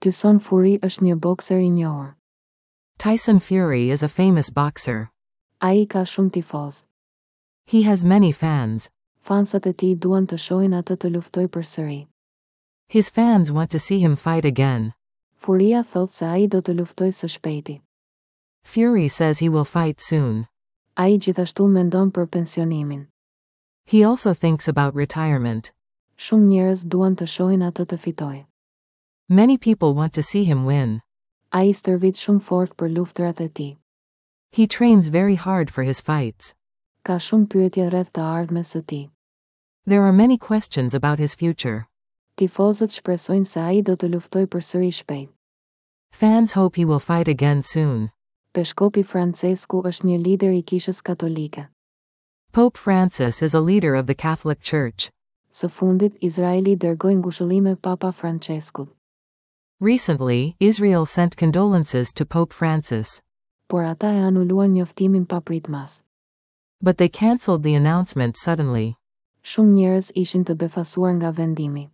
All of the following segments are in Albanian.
Tyson Fury është një bokser i njohur. Tyson Fury is a famous boxer. Ai ka shumë tifozë. He has many fans. Fansat e tij duan të shohin atë të luftojë përsëri. His fans want to see him fight again. Furia thotë se ai do të luftojë së shpejti. Fury says he will fight soon. Ai gjithashtu mendon për pensionimin. He also thinks about retirement. Shumë njerëz duan të shohin atë të fitojë. Many people want to see him win. Ai stërvit shumë fort për luftërat e tij. He trains very hard for his fights. Ka shumë pyetje rreth të ardhmes së tij. There are many questions about his future. Tifozët shpresojnë se ai do të luftojë përsëri shpejt. Fans hope he will fight again soon. Peshkopi Françesku është një lider i Kishës Katolike. Pope Francis is a leader of the Catholic Church. Së fundit, Izraeli dërgoi ngushëllime Papa Françeskut. Recently, Israel sent condolences to Pope Francis. Por ata e anuluan njoftimin papritmas. But they cancelled the announcement suddenly. Shumë njerëz ishin të befasuar nga vendimi.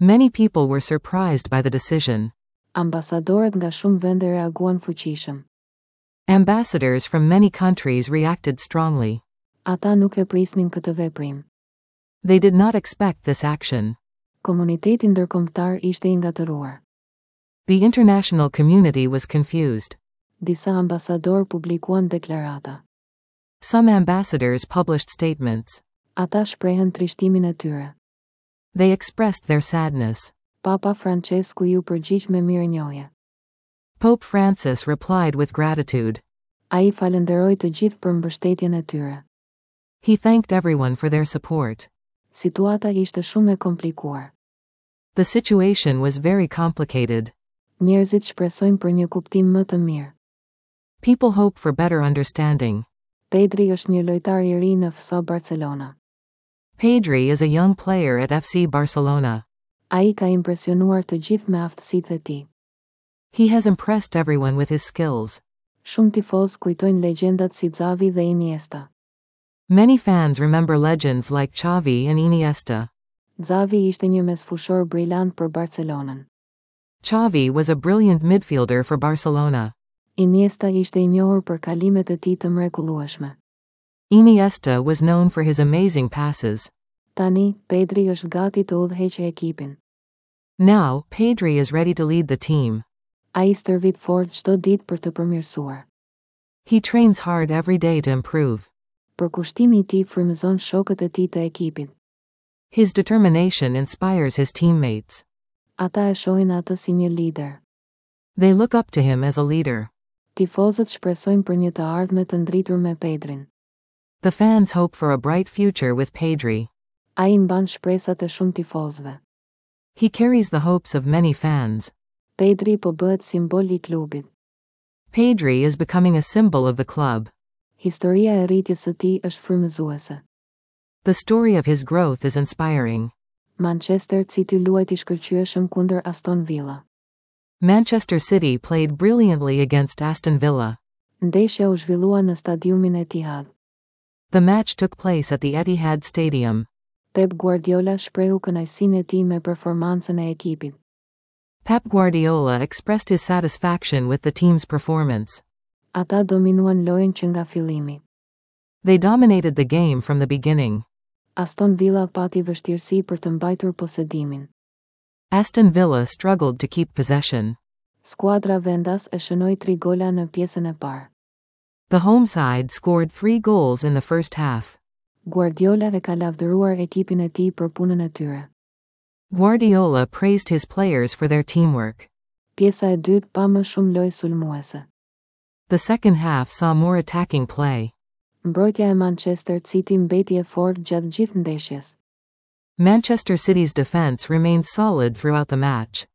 Many people were surprised by the decision. Ambasadorët nga shumë vende reaguan fuqishëm. Ambassadors from many countries reacted strongly. Ata nuk e prisnin këtë veprim. They did not expect this action. Komuniteti ndërkombëtar ishte i ngatërruar. The international community was confused. Disa ambasadorë publikuan deklarata. Some ambassadors published statements. Ata shprehën trishtimin e tyre. They expressed their sadness. Papa Françesku iu përgjigj me mirënjohje. Pope Francis replied with gratitude. Ai falënderoi të gjithë për mbështetjen e tyre. He thanked everyone for their support. Situata ishte shumë e komplikuar. The situation was very complicated. Njerëzit shpresojnë për një kuptim më të mirë. People hope for better understanding. Pedri është një lojtar i ri në FC Barcelona. Pedri is a young player at FC Barcelona. Ai ka impresionuar të gjithë me aftësitë e tij. He has impressed everyone with his skills. Shumë tifozë kujtojnë legjendat si Xavi dhe Iniesta. Many fans remember legends like Xavi and Iniesta. Xavi ishte një mesfushor brilant për Barcelonën. Xavi was a brilliant midfielder for Barcelona. Iniesta ishte i njohur për kalimet e tij të mrekullueshme. Iniesta was known for his amazing passes. Tani, Pedri është gati të udhëheqë ekipin. Now, Pedri is ready to lead the team. Ai stërvit fort çdo ditë për të përmirësuar. He trains hard every day to improve. Përkushtimi i tij frymëzon shokët e tij të ekipit. His determination inspires his teammates. Ata e shohin atë si një lider. They look up to him as a leader. Tifozët shpresojnë për një të ardhme të ndritur me Pedrin. The fans hope for a bright future with Pedri. Ai mban shpresat e shumë tifozëve. He carries the hopes of many fans. Pedri po bëhet simbol i klubit. Pedri is becoming a symbol of the club. Historia e rritjes së tij është frymëzuese. The story of his growth is inspiring. Manchester City luajti shkëlqyeshëm kundër Aston Villa. Manchester City played brilliantly against Aston Villa. Ndeshja u zhvillua në stadiumin Etihad. The match took place at the Etihad Stadium. Pep Guardiola shprehu kënaqësinë e tij me performancën e ekipit. Pep Guardiola expressed his satisfaction with the team's performance. Ata dominuan lojën që nga fillimi. They dominated the game from the beginning. Aston Villa pati vështirësi për të mbajtur posedimin. Aston Villa struggled to keep possession. Skuadra vendas e shënoi tri gola në pjesën e parë. The home side scored three goals in the first half. Guardiola e ka lavdëruar ekipin e tij për punën e tyre. Guardiola praised his players for their teamwork. Pjesa e dytë pa më shumë lojë sulmuese. The second half saw more attacking play. Mbrojtja e Manchester City mbeti e fortë gjatë gjithë ndeshjes. Manchester City's defense remained solid throughout the match.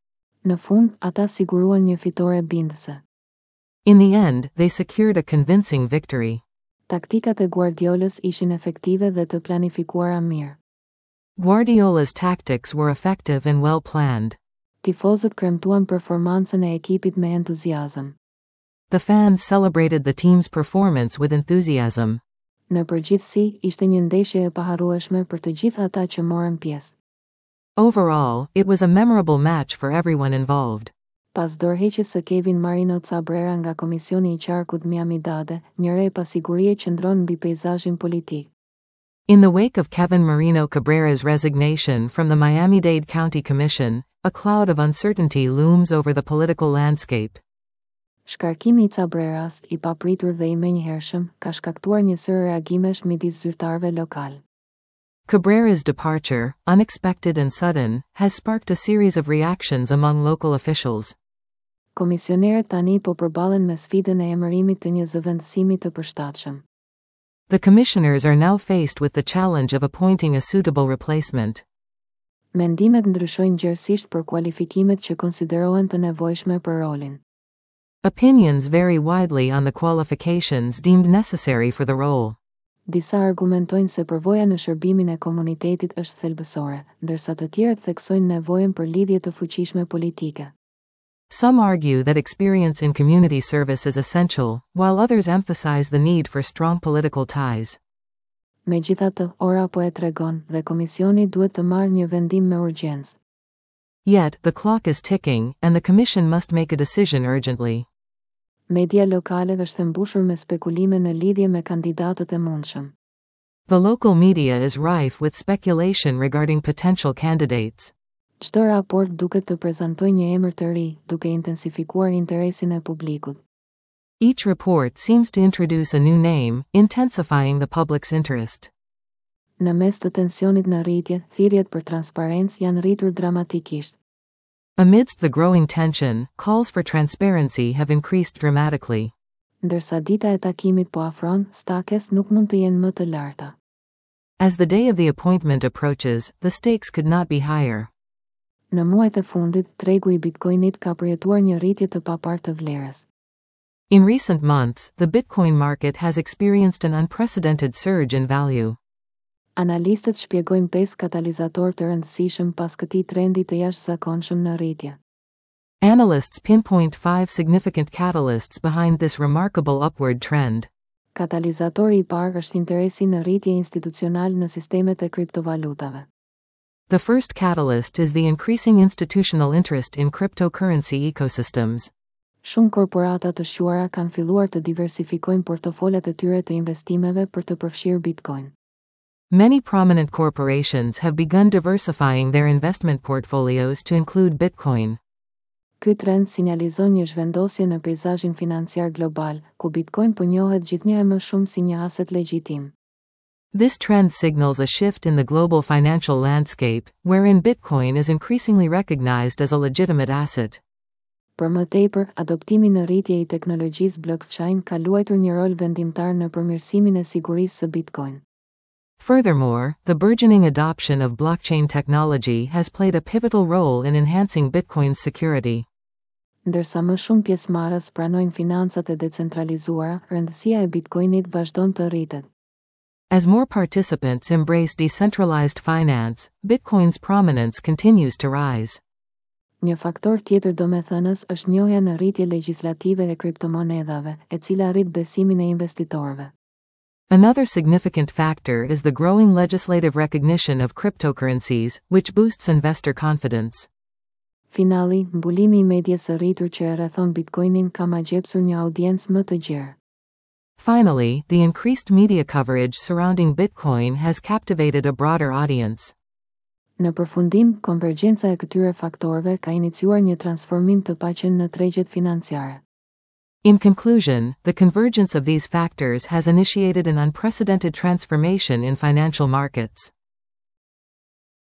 Në fund, ata siguruan një fitore bindëse. In the end, they secured a convincing victory. Taktikat e Guardiolës ishin efektive dhe të planifikuara mirë. Guardiola's tactics were effective and well planned. Tifozët kremtuan performancën e ekipit me entuziazëm. The fans celebrated the team's performance with enthusiasm. Në përgjithësi, ishte një ndeshje e paharrueshme për të gjithë ata që morën pjesë. Overall, it was a memorable match for everyone involved. Pas dorëheqjes së Kevin Marino Cabrera nga Komisioni i Qarkut Miami-Dade, një re pasigurie qëndron mbi peizazhin politik. In the wake of Kevin Marino Cabrera's resignation from the Miami-Dade County Commission, a cloud of uncertainty looms over the political landscape. Shkarkimi i Cabreras, i papritur dhe i menjëhershëm, ka shkaktuar një sërë reagimesh midis zyrtarëve lokalë. Cabrera's departure, unexpected and sudden, has sparked a series of reactions among local officials. Komisionerët tani po përballen me sfidën e emërimit të një zëvendësimi të përshtatshëm. The commissioners are now faced with the challenge of appointing a suitable replacement. Mendimet ndryshojnë gjerësisht për kualifikimet që konsiderohen të nevojshme për rolin. Opinions vary widely on the qualifications deemed necessary for the role. Disa argumentojnë se përvoja në shërbimin e komunitetit është thelbësore, ndërsa të tjerët theksojnë nevojën për lidhje të fuqishme politike. Some argue that experience in community service is essential, while others emphasize the need for strong political ties. Megjithatë, ora po e tregon dhe komisioni duhet të marrë një vendim me urgjencë. Yet, the clock is ticking, and the commission must make a decision urgently. Media lokale është e mbushur me spekulime në lidhje me kandidatët e mundshëm. The local media is rife with speculation regarding potential candidates. Çdo raport duket të prezantojë një emër të ri, duke intensifikuar interesin e publikut. Each report seems to introduce a new name, intensifying the public's interest. Në mes të tensionit në rritje, thirrjet për transparencë janë rritur dramatikisht. Amidst the growing tension, calls for transparency have increased dramatically. Ndërsa dita e takimit po afron, stakes nuk mund të jenë më të larta. As the day of the appointment approaches, the stakes could not be higher. Në muajt e fundit, tregu i Bitcoinit ka përjetuar një rritje të paparë të vlerës. In recent months, the Bitcoin market has experienced an unprecedented surge in value. Analistët shpjegojnë pesë katalizatorë të rëndësishëm pas këtij trendi të jashtëzakonshëm në rritje. Analysts pinpoint five significant catalysts behind this remarkable upward trend. Katalizatori i parë është interesi në rritje institucional në sistemet e kriptovalutave. The first catalyst is the increasing institutional interest in cryptocurrency ecosystems. Shumë korporata të shquara kanë filluar të diversifikojnë portofolet e tyre të investimeve për të përfshirë Bitcoin. Many prominent corporations have begun diversifying their investment portfolios to include Bitcoin. Ky trend sinjalizon një zhvendosje në peizazhin financiar global, ku Bitcoin po njohet gjithnjë e më shumë si një aset legjitim. This trend signals a shift in the global financial landscape, wherein Bitcoin is increasingly recognized as a legitimate asset. Për më tepër, adoptimi në rritje i teknologjisë blockchain ka luajtur një rol vendimtar në përmirësimin e sigurisë së Bitcoin. Furthermore, the burgeoning adoption of blockchain technology has played a pivotal role in enhancing Bitcoin's security. Ndërsa më shumë pjesëmarrës pranojnë financat e decentralizuara, rëndësia e Bitcoinit vazhdon të rritet. As more participants embrace decentralized finance, Bitcoin's prominence continues to rise. Një faktor tjetër domethënës është njohja në rritje legjislative e kriptomonedhave, e cila rrit besimin e investitorëve. Another significant factor is the growing legislative recognition of cryptocurrencies, which boosts investor confidence. Finali, mbulimi i medias së rritur që e rrethon Bitcoinin ka magjepsur një audiencë më të gjerë. Finally, the increased media coverage surrounding Bitcoin has captivated a broader audience. Në përfundim, konvergjenca e këtyre faktorëve ka iniciuar një transformim të paqenë në tregjet financiare. In conclusion, the convergence of these factors has initiated an unprecedented transformation in financial markets.